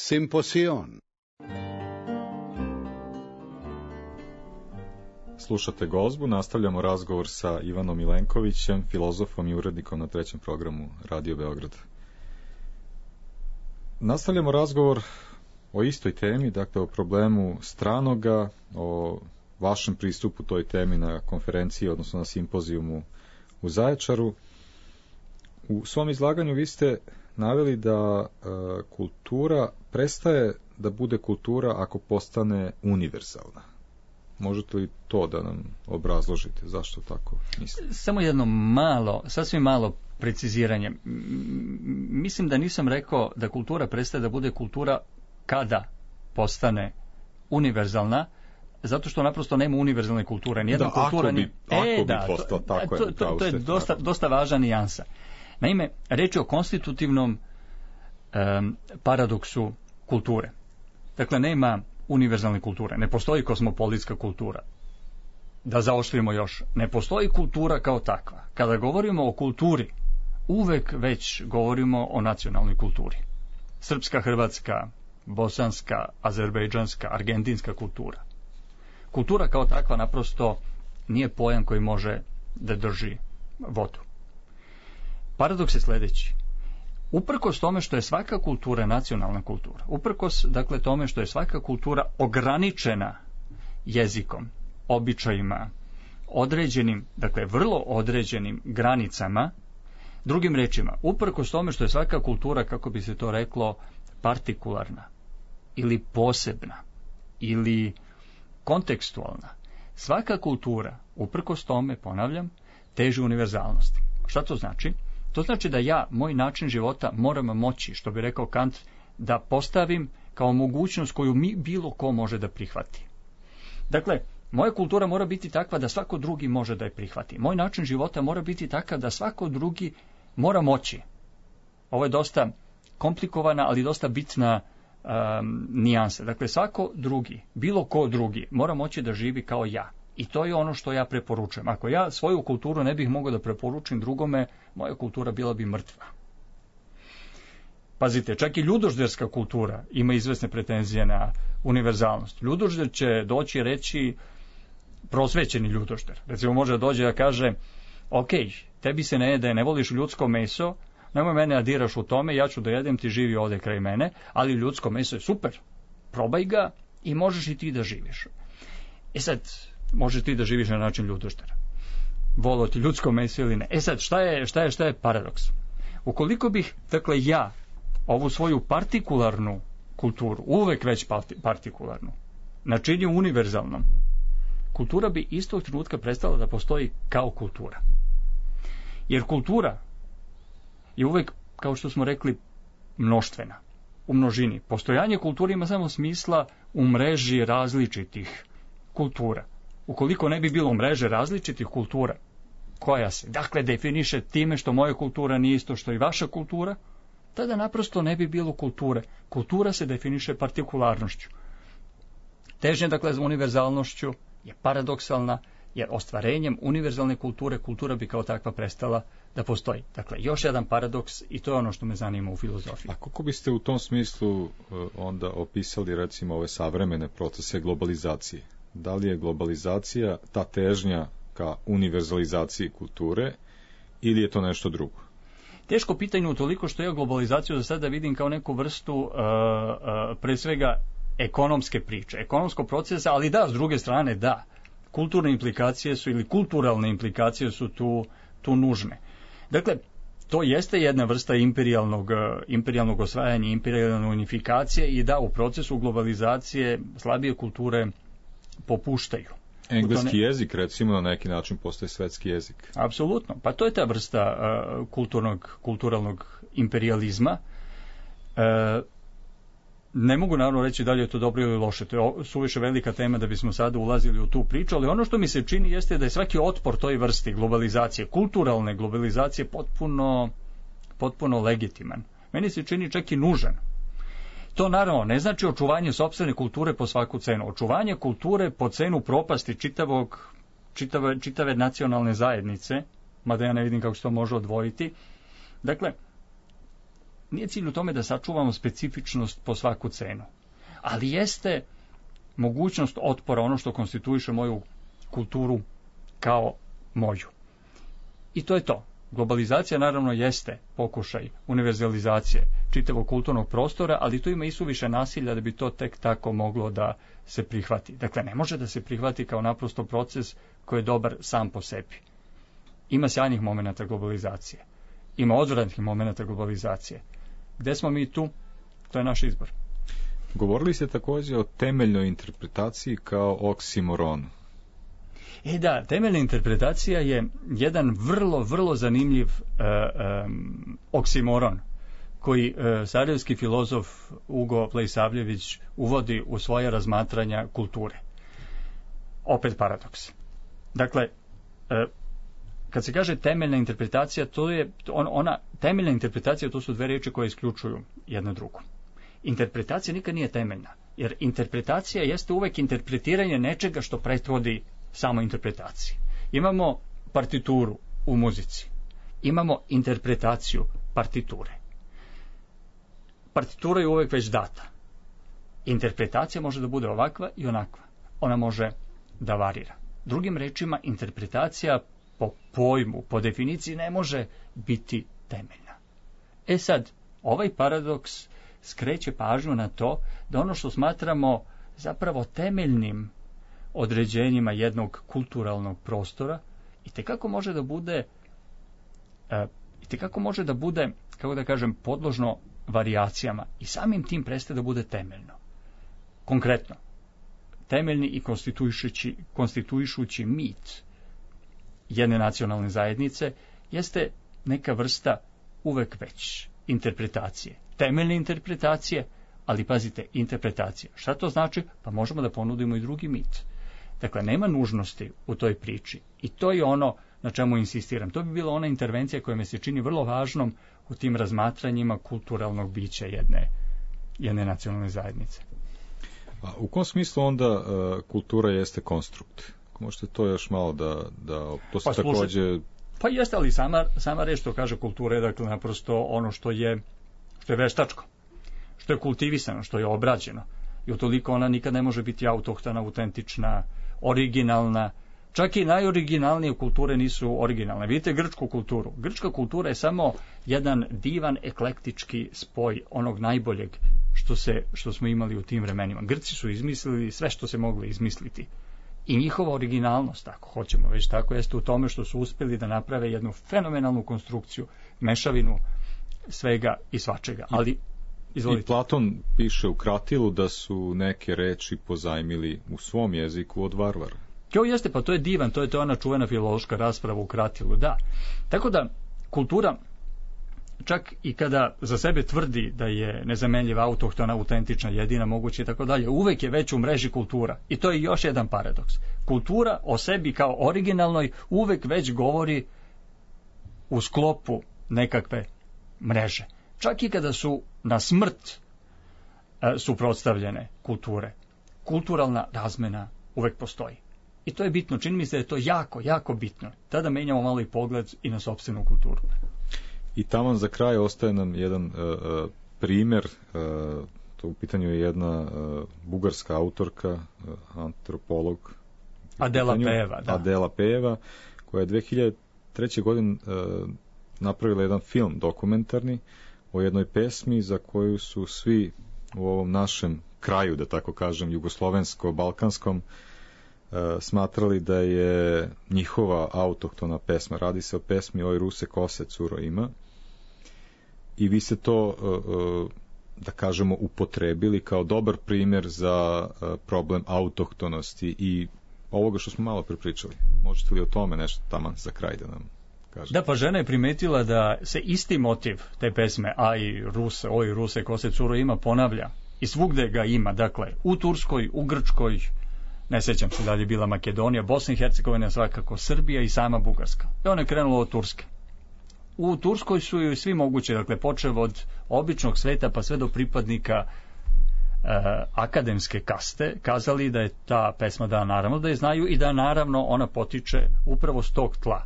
Simposion. Slušate Gozbu, nastavljamo razgovor sa Ivanom Milenkovićem, filozofom i urednikom na trećem programu Radio Beograd. Nastavljamo razgovor o istoj temi, dakle o problemu stranoga, o vašem pristupu toj temi na konferenciji, odnosno na simpozijumu u Zaječaru. U svom izlaganju vi ste naveli da kultura prestaje da bude kultura ako postane univerzalna. Možete li to da nam obrazložite? Zašto tako mislite? Samo jedno sasvim malo preciziranje. Mislim da nisam rekao da kultura prestaje da bude kultura kada postane univerzalna, zato što naprosto nema univerzalne kulture. Nijedna kultura bi postao tako. To je dosta važna nijansa. Naime, reč je o konstitutivnom paradoksu kulture. Dakle, nema univerzalne kulture. Ne postoji kosmopolitska kultura. Da zaoštrimo još. Ne postoji kultura kao takva. Kada govorimo o kulturi, uvek već govorimo o nacionalnoj kulturi. Srpska, hrvatska, bosanska, azerbejdžanska, argentinska kultura. Kultura kao takva naprosto nije pojam koji može da drži vodu. Paradoks je sljedeći. Uprkos tome što je svaka kultura nacionalna kultura, uprkos dakle tome što je svaka kultura ograničena jezikom, običajima, određenim, dakle vrlo određenim granicama, drugim rečima, uprkos tome što je svaka kultura, kako bi se to reklo, partikularna ili posebna ili kontekstualna, svaka kultura, uprkos tome, ponavljam, teži univerzalnosti. Šta to znači? To znači da moj način života moram moći, što bi rekao Kant, da postavim kao mogućnost koju bilo ko može da prihvati. Dakle, moja kultura mora biti takva da svako drugi može da je prihvati. Moj način života mora biti takav da svako drugi mora moći. Ovo je dosta komplikovana, ali dosta bitna nijansa. Dakle, svako drugi, bilo ko drugi, mora moći da živi kao ja. I to je ono što ja preporučujem. Ako ja svoju kulturu ne bih mogao da preporučim drugome, moja kultura bila bi mrtva. Pazite, čak i ljudožderska kultura ima izvesne pretenzije na univerzalnost. Ljudožder će doći i reći, prosvećeni ljudožder, recimo može da dođe da kaže, ok, tebi se ne jede, ne voliš ljudsko meso, nemoj mene da diraš u tome, ja ću da jedem, ti živi ovde kraj mene, ali ljudsko meso je super, probaj ga i možeš i ti da živiš. E sad, možeš ti da živiš na način ljudoždera. Volio ti ljudsko meso ili ne. E sad, šta je paradoks? Ukoliko bih, dakle, ja ovu svoju partikularnu kulturu, uvek već partikularnu, načinio univerzalnom, kultura bi istog trenutka prestala da postoji kao kultura. Jer kultura je uvek, kao što smo rekli, mnoštvena, u množini. Postojanje kulture ima samo smisla u mreži različitih kultura. Ukoliko ne bi bilo mreže različitih kultura, koja se, dakle, definiše time što moja kultura nije isto što i vaša kultura, tada naprosto ne bi bilo kulture. Kultura se definiše partikularnošću. Težnja, dakle, za univerzalnošću je paradoksalna, jer ostvarenjem univerzalne kulture, kultura bi kao takva prestala da postoji. Dakle, još jedan paradoks i to je ono što me zanima u filozofiji. A kako biste u tom smislu onda opisali, recimo, ove savremene procese globalizacije? Da li je globalizacija ta težnja ka univerzalizaciji kulture ili je to nešto drugo? Teško pitanje utoliko što ja globalizaciju za sada vidim kao neku vrstu pre svega ekonomske priče, ekonomskog procesa, ali da, s druge strane da, kulturne implikacije su ili kulturalne implikacije su tu nužne. Dakle, to jeste jedna vrsta imperijalnog osvajanja, imperijalne unifikacije i da, u procesu globalizacije slabije kulture popuštaju. Engleski jezik, recimo, na neki način postaje svetski jezik. Apsolutno. Pa to je ta vrsta kulturalnog imperializma. Ne mogu naravno reći da li je to dobro ili loše. To je suviše velika tema da bismo sada ulazili u tu priču, ali ono što mi se čini jeste da je svaki otpor toj vrsti globalizacije, kulturalne globalizacije, potpuno legitiman. Meni se čini čak i nužan. To naravno ne znači očuvanje sopstvene kulture po svaku cenu. Očuvanje kulture po cenu propasti čitave nacionalne zajednice, mada ja ne vidim kako se to može odvojiti. Dakle, nije cilj u tome da sačuvamo specifičnost po svaku cenu, ali jeste mogućnost otpora, ono što konstituiše moju kulturu kao moju. I to je to. Globalizacija naravno jeste pokušaj univerzalizacije čitavog kulturnog prostora, ali tu ima isuviše nasilja da bi to tek tako moglo da se prihvati. Dakle, ne može da se prihvati kao naprosto proces koji je dobar sam po sebi. Ima sjajnih momenata globalizacije. Ima odvratnih momenata globalizacije. Gde smo mi tu? To je naš izbor. Govorili ste također o temeljnoj interpretaciji kao oksimoronu. Da, temeljna interpretacija je jedan vrlo zanimljiv oksimoron koji sarajevski filozof Ugo Plejsavljević uvodi u svoje razmatranja kulture. Opet paradoks. Dakle, kad se kaže temeljna interpretacija, to je temeljna interpretacija, to su dve riječi koje isključuju jedna drugu. Interpretacija nikad nije temeljna, jer interpretacija jeste uvek interpretiranje nečega što prethodi samo interpretaciji. Imamo partituru u muzici. Imamo interpretaciju partiture. Partitura je uvek već data. Interpretacija može da bude ovakva i onakva. Ona može da varira. Drugim rečima, interpretacija po pojmu, po definiciji ne može biti temeljna. Sad, ovaj paradoks skreće pažnju na to da ono što smatramo zapravo temeljnim određenjima jednog kulturalnog prostora itekako može da bude, kako da kažem, podložno varijacijama i samim tim prestaje da bude temeljno. Konkretno, temeljni i konstituišući mit jedne nacionalne zajednice jeste neka vrsta uvek već interpretacije. Temeljne interpretacije, ali pazite, interpretacija. Šta to znači? Pa možemo da ponudimo i drugi mit. Dakle, nema nužnosti u toj priči. I to je ono na čemu insistiram. To bi bila ona intervencija koja mi se čini vrlo važnom u tim razmatranjima kulturalnog bića jedne nacionalne zajednice. A u kom smislu onda kultura jeste konstrukt? Možete to još malo da to se također... Pa jeste, ali sama reč što kaže kultura je dakle naprosto ono što je veštačko, što je kultivisano, što je obrađeno. I utoliko ona nikad ne može biti autohtona, autentična, originalna. Čak i najoriginalnije kulture nisu originalne. Vidite grčku kulturu. Grčka kultura je samo jedan divan eklektički spoj onog najboljeg što smo imali u tim vremenima. Grci su izmislili sve što se moglo izmisliti. I njihova originalnost, ako hoćemo već tako, jeste u tome što su uspjeli da naprave jednu fenomenalnu konstrukciju, mešavinu svega i svačega. Ali, izvolite. I Platon piše u Kratilu da su neke reči pozajmili u svom jeziku od varvara. Jo, jeste, pa to je divan, to je ona čuvena filološka rasprava u Kratilu, da. Tako da, kultura, čak i kada za sebe tvrdi da je nezamenljiva, autohtona, autentična, jedina, moguće i tako dalje, uvek je već u mreži kultura. I to je još jedan paradoks. Kultura o sebi kao originalnoj uvek već govori u sklopu nekakve mreže. Čak i kada su na smrt suprotstavljene kulture. Kulturalna razmena uvek postoji. I to je bitno. Čini mi se da je to jako, jako bitno. Tada menjamo malo i pogled i na sopstvenu kulturu. I taman za kraj ostaje nam jedan primjer, to u pitanju je jedna bugarska autorka, antropolog Adela Pejeva, koja je 2003. godine napravila jedan film dokumentarni o jednoj pesmi za koju su svi u ovom našem kraju, da tako kažem, jugoslovensko-balkanskom, smatrali da je njihova autohtona pesma. Radi se o pesmi Oj Ruse kose curo ima. I vi ste to, da kažemo, upotrebili kao dobar primjer za problem autohtonosti i ovoga što smo malo prepričali. Možete li o tome nešto taman za kraj da nam kažete? Da, pa žena je primetila da se isti motiv te pesme Oj Ruse kose curo ima ponavlja. I svugde ga ima. Dakle, u Turskoj, u Grčkoj, ne sjećam se da li je bila Makedonija, Bosna i Hercegovina, svakako Srbija i sama Bugarska. I ona je krenula od Turske. U Turskoj su joj svi moguće, dakle, počev od običnog sveta pa sve do pripadnika akademske kaste, kazali da je ta pesma, da naravno da je znaju i da naravno ona potiče upravo s tog tla.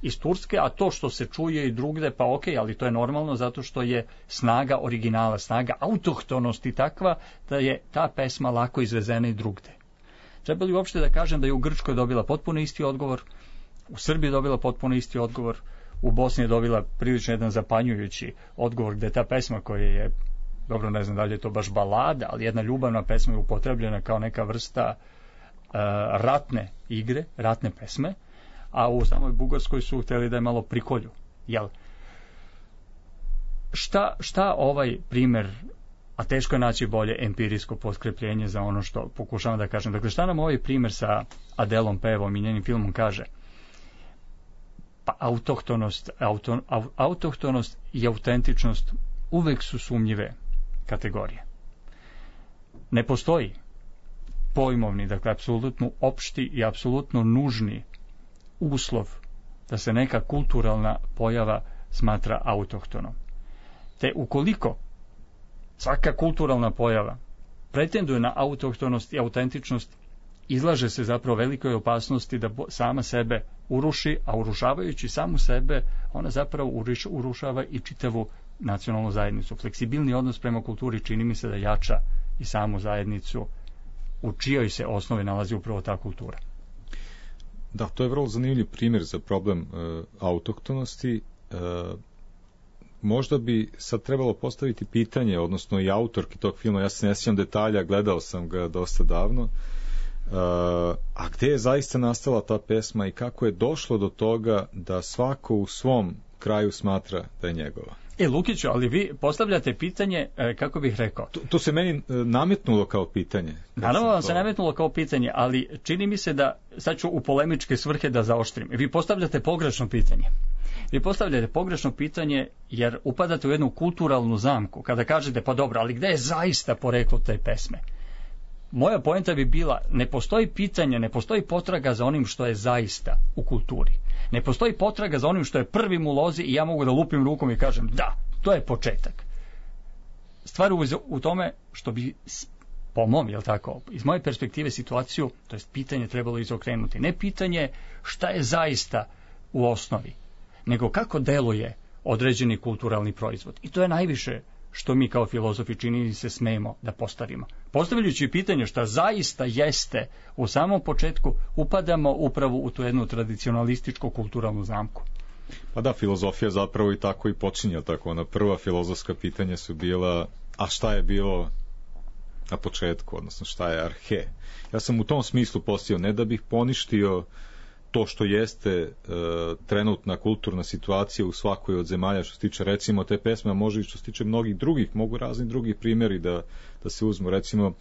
iz Turske, a to što se čuje i drugde, pa ok, ali to je normalno zato što je snaga originala, snaga autohtonosti takva da je ta pesma lako izvezena i drugde. Treba li uopšte da kažem da je u Grčkoj dobila potpuno isti odgovor, u Srbiji dobila potpuno isti odgovor, u Bosni je dobila prilično jedan zapanjujući odgovor gde ta pesma koja je, dobro ne znam da li je to baš balada, ali jedna ljubavna pesma je upotrebljena kao neka vrsta ratne igre, ratne pesme, a u samoj Bugarskoj su hteli da je malo prikolju. Jel? Šta ovaj primer, a teško je naći bolje empirijsko potkrepljenje za ono što pokušavam da kažem. Dakle, šta nam ovaj primer sa Adelom Pevom i njenim filmom kaže? Pa autohtonost i autentičnost uvek su sumnjive kategorije. Ne postoji pojmovni, dakle, apsolutno opšti i apsolutno nužni uslov da se neka kulturalna pojava smatra autohtonom. Te ukoliko svaka kulturalna pojava pretenduje na autohtonost i autentičnost, izlaže se zapravo velikoj opasnosti da sama sebe uruši, a urušavajući samu sebe, ona zapravo urušava i čitavu nacionalnu zajednicu. Fleksibilni odnos prema kulturi čini mi se da jača i samu zajednicu u čijoj se osnovi nalazi upravo ta kultura. Da, to je vrlo zanimljiv primjer za problem autohtonosti. Možda bi sad trebalo postaviti pitanje, odnosno i autorki tog filma, ja se ne sjećam detalja, gledao sam ga dosta davno, a gde je zaista nastala ta pesma i kako je došlo do toga da svako u svom kraju smatra da je njegova. Lukiću, ali vi postavljate pitanje, kako bih rekao... To se meni nametnulo kao pitanje. Naravno vam se nametnulo kao pitanje, ali čini mi se da, sad ću u polemičke svrhe da zaoštrim, vi postavljate pogrešno pitanje. Vi postavljate pogrešno pitanje jer upadate u jednu kulturalnu zamku kada kažete, pa dobro, ali gde je zaista poreklo te pesme? Moja poenta bi bila, ne postoji pitanje, ne postoji potraga za onim što je zaista u kulturi. Ne postoji potraga za onim što je prvim u lozi i ja mogu da lupim rukom i kažem, da, to je početak. Stvar u tome što bi, po mom, jel tako, iz moje perspektive situaciju, to jest pitanje trebalo izokrenuti. Ne pitanje šta je zaista u osnovi, nego kako deluje određeni kulturalni proizvod. I to je najviše što mi kao filozofi čini se smemo da postavimo. Postavljajući pitanje šta zaista jeste u samom početku, upadamo upravo u tu jednu tradicionalističku kulturalnu zamku. Pa da, filozofija zapravo i tako i počinja tako. Ona prva filozofska pitanja su bila, a šta je bilo na početku, odnosno šta je arhe. Ja sam u tom smislu postavio, ne da bih poništio to što jeste trenutna kulturna situacija u svakoj od zemalja što se tiče recimo te pesme, a može i što se tiče mnogih drugih, mogu razni drugi primjeri da se uzmu. Recimo,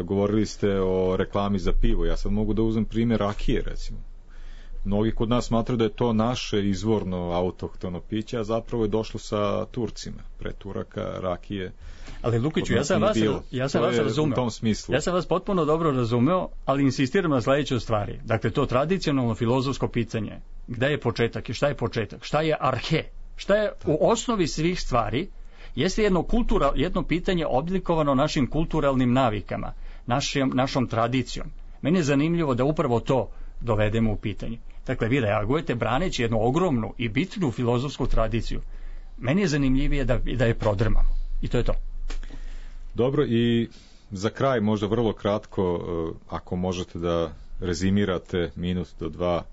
govorili ste o reklami za pivo, ja sad mogu da uzmem primjer rakije, recimo. Mnogi kod nas smatraju da je to naše izvorno autohtono piće, a zapravo je došlo sa Turcima, pre Turaka, rakije. Ali Lukiću, ja sam vas razumeo. U tom smislu. Ja sam vas potpuno dobro razumeo, ali insistiram na sledećoj stvari. Dakle, to tradicionalno filozofsko pitanje, gde je početak i šta je početak, šta je arhe, šta je u osnovi svih stvari, jeste jedno pitanje oblikovano našim kulturalnim navikama, našom tradicijom. Meni je zanimljivo da upravo to dovedemo u pitanje. Dakle, vi reagujete braneći jednu ogromnu i bitnu filozofsku tradiciju. Meni je zanimljivije da je prodrmamo. I to je to. Dobro, i za kraj možda vrlo kratko, ako možete da rezimirate minut do dva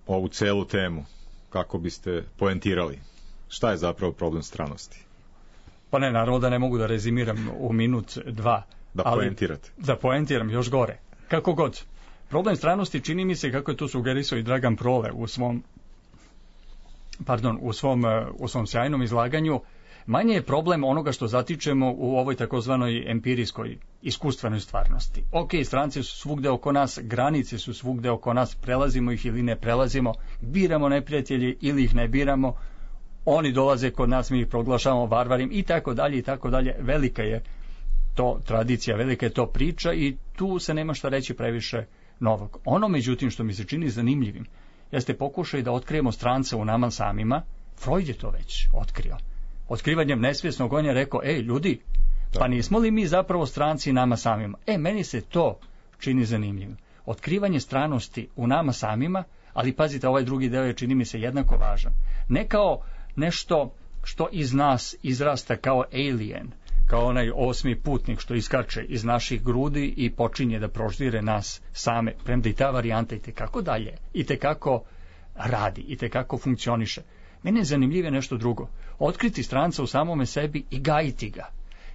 ovu celu temu, kako biste poentirali. Šta je zapravo problem stranosti? Pa ne, naravno da ne mogu da rezimiram u minut, dva. Da poentirate. Da poentiram još gore. Kako god. Problem stranosti čini mi se, kako je to sugerisao i Dragan Prole u svom sjajnom izlaganju, manje je problem onoga što zatičemo u ovoj takozvanoj empirijskoj iskustvenoj stvarnosti. Ok, stranci su svugde oko nas, granice su svugde oko nas, prelazimo ih ili ne prelazimo, biramo neprijatelje ili ih ne biramo, oni dolaze kod nas, mi ih proglašavamo varvarim i tako dalje i tako dalje. Velika je to tradicija, velika je to priča i tu se nema šta reći previše novog. Ono, međutim, što mi se čini zanimljivim, jeste pokušaj da otkrijemo stranca u nama samima. Freud je to već otkrio. Otkrivanjem nesvjesnog on je rekao, ljudi, pa nismo li mi zapravo stranci nama samima? Meni se to čini zanimljivim. Otkrivanje stranosti u nama samima, Ali pazite, ovaj drugi deo je, čini mi se, jednako važan. Ne kao nešto što iz nas izrasta kao alien, kao onaj osmi putnik što iskače iz naših grudi i počinje da proždire nas same, premda i ta varijanta itekako dalje, itekako radi, itekako funkcioniše. Mene je zanimljivije nešto drugo. Otkriti stranca u samome sebi i gajiti ga.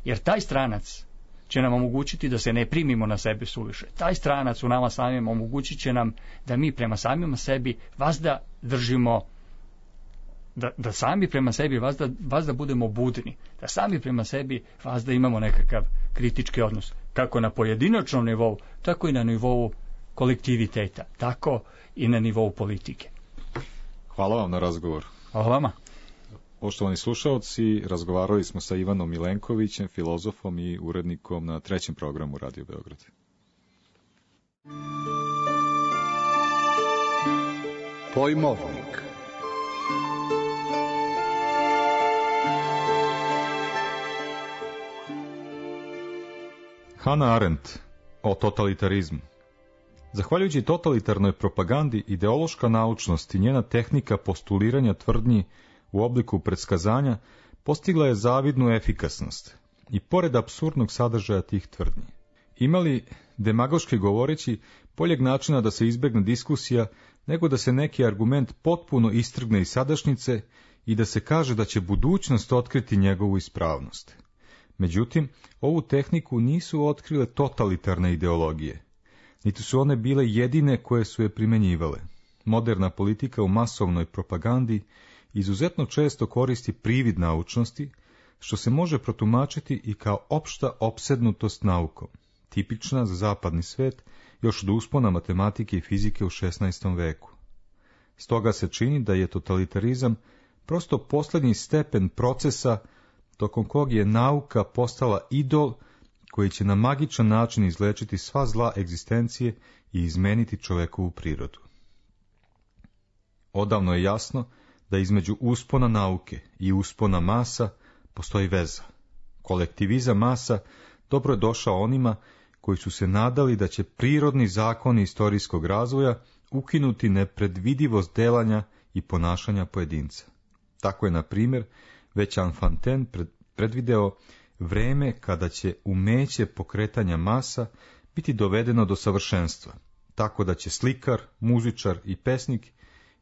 Jer taj stranac će nam omogućiti da se ne primimo na sebe suviše. Taj stranac u nama samim omogućit će nam da mi prema samima sebi vazda držimo, da sami prema sebi vazda budemo budni, da sami prema sebi vazda imamo nekakav kritički odnos, kako na pojedinačnom nivou, tako i na nivou kolektiviteta, tako i na nivou politike. Hvala vam na razgovor. Hvala vama. Poštovani slušaoci, razgovarali smo sa Ivanom Milenkovićem, filozofom i urednikom na 3. programu Radio Beograd. Pojmovnik. Hannah Arendt o totalitarizmu. Zahvaljujući totalitarnoj propagandi, ideološka naučnost i njena tehnika postuliranja tvrdnji u obliku predskazanja postigla je zavidnu efikasnost i pored apsurdnog sadržaja tih tvrdnji. Imali, demagoški govoreći, boljeg načina da se izbegne diskusija nego da se neki argument potpuno istrgne iz sadašnjice i da se kaže da će budućnost otkriti njegovu ispravnost. Međutim, ovu tehniku nisu otkrile totalitarne ideologije, niti su one bile jedine koje su je primenjivale. Moderna politika u masovnoj propagandi izuzetno često koristi privid naučnosti, što se može protumačiti i kao opšta opsednutost naukom, tipična za zapadni svet još od uspona matematike i fizike u 16. veku. Stoga se čini da je totalitarizam prosto posljednji stepen procesa tokom kog je nauka postala idol koji će na magičan način izlečiti sva zla egzistencije i izmeniti čovekovu prirodu. Odavno je jasno da između uspona nauke i uspona masa postoji veza. Kolektivizam masa dobro je došao onima koji su se nadali da će prirodni zakoni istorijskog razvoja ukinuti nepredvidivost delanja i ponašanja pojedinca. Tako je, na primjer, već Enfantin predvideo vreme kada će umeće pokretanja masa biti dovedeno do savršenstva, tako da će slikar, muzičar i pesnik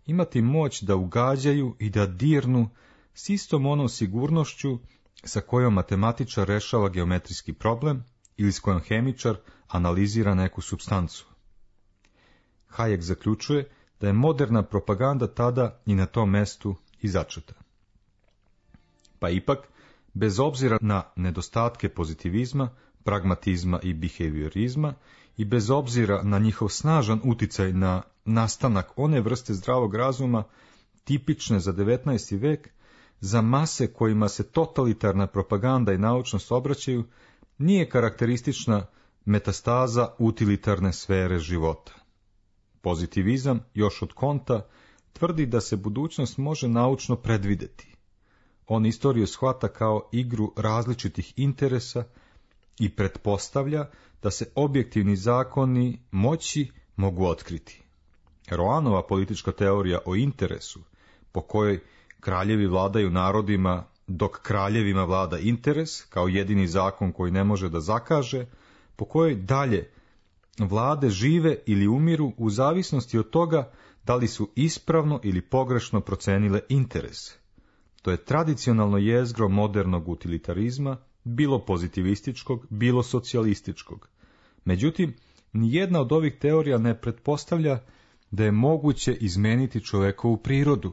imati moć da ugađaju i da dirnu s istom onom sigurnošću sa kojom matematičar rešava geometrijski problem ili s kojom hemičar analizira neku supstancu. Hayek zaključuje da je moderna propaganda tada i na tom mestu i začeta. Pa ipak, bez obzira na nedostatke pozitivizma, pragmatizma i behaviorizma i bez obzira na njihov snažan uticaj na nastanak one vrste zdravog razuma tipične za 19. vek, za mase kojima se totalitarna propaganda i naučnost obraćaju, nije karakteristična metastaza utilitarne sfere života. Pozitivizam, još od Konta, tvrdi da se budućnost može naučno predvideti. On istoriju shvata kao igru različitih interesa i pretpostavlja da se objektivni zakoni moći mogu otkriti. Roanova politička teorija o interesu, po kojoj kraljevi vladaju narodima dok kraljevima vlada interes, kao jedini zakon koji ne može da zakaže, po kojoj dalje vlade žive ili umiru u zavisnosti od toga da li su ispravno ili pogrešno procenile interes. To je tradicionalno jezgro modernog utilitarizma, bilo pozitivističkog, bilo socijalističkog. Međutim, nijedna od ovih teorija ne pretpostavlja da je moguće izmeniti čovekovu prirodu.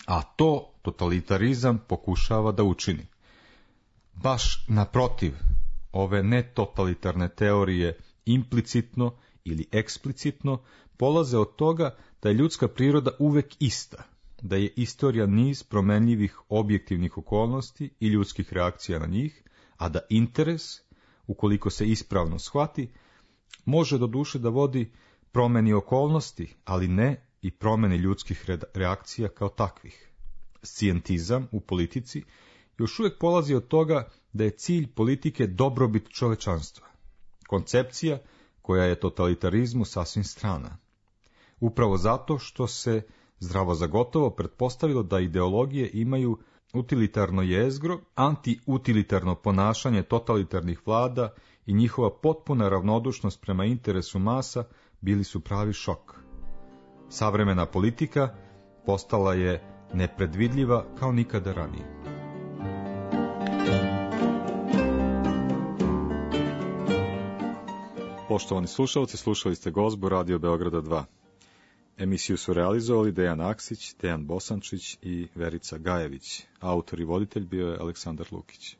A to totalitarizam pokušava da učini. Baš naprotiv, ove netotalitarne teorije implicitno ili eksplicitno polaze od toga da je ljudska priroda uvek ista, da je istorija niz promenljivih objektivnih okolnosti i ljudskih reakcija na njih, a da interes, ukoliko se ispravno shvati, može do duše da vodi promeni okolnosti, ali ne i promeni ljudskih reakcija kao takvih. Scijentizam u politici još uvijek polazi od toga da je cilj politike dobrobit čovečanstva. Koncepcija koja je totalitarizmu sasvim strana. upravo zato što se zdravo za gotovo pretpostavilo da ideologije imaju utilitarno jezgro, antiutilitarno ponašanje totalitarnih vlada i njihova potpuna ravnodušnost prema interesu masa bili su pravi šok. Savremena politika postala je nepredvidljiva kao nikada ranije. Poštovani slušalci, slušali ste Gozbu Radio Beograda 2. Emisiju su realizovali Dejan Aksić, Dejan Bosančić i Verica Gajević. Autor i voditelj bio je Aleksandar Lukić.